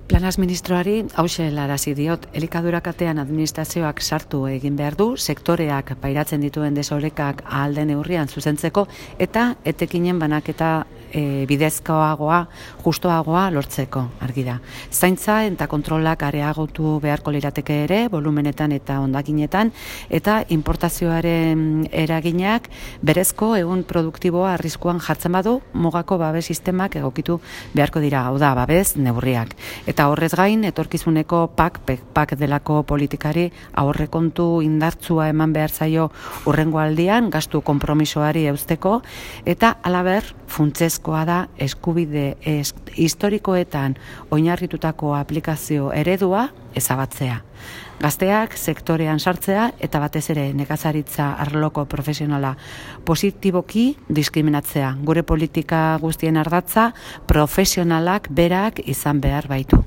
Planaz ministroari hauxe helarazi diot, elikadura katean administrazioak sartu egin behar du, sektoreak pairatzen dituen desorekak ahal den neurrian zuzentzeko eta etekinen banaketa bidezkoagoa, justoagoa lortzeko, argi da. Zaintza eta kontrolak areagotu beharko lirateke ere, volumenetan eta hondakinetan, eta importazioaren eraginak berezko egun produktiboa arriskuan jartzen badu, mugako babes sistemak egokitu beharko dira, hau da, babes neurriak. Eta horrez gain, etorkizuneko PAK delako politikari aurrekontu indartsua eman behar zaio hurrengo aldian, gastu konpromisoari eusteko, eta halaber, funtsezkoa da eskubide historikoetan oinarritutako aplikazio eredua ezabatzea. Gazteak sektorean sartzea eta batez ere nekazaritza arloko profesionala positiboki diskriminatzea. Gure politika guztien ardatza profesionalak berak izan behar baitu.